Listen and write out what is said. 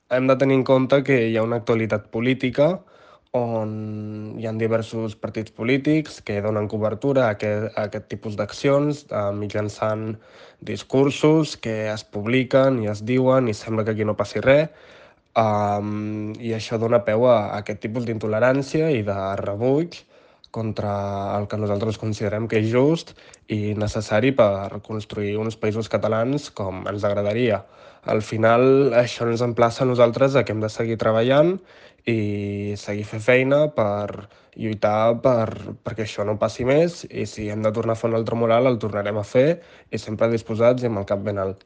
hem de tenir en compte que hi ha una actualitat política on hi ha diversos partits polítics que donen cobertura a aquest tipus d'accions mitjançant discursos que es publiquen i es diuen i sembla que aquí no passi res. I això dona peu a aquest tipus d'intolerància i de rebuig contra el que nosaltres considerem que és just i necessari per construir uns països catalans com ens agradaria. Al final, això ens emplaça a nosaltres a que hem de seguir treballant i seguir fer feina per lluitar perquè això no passi més i si hem de tornar a fer un altre mural el tornarem a fer i sempre disposats i amb el cap ben alt.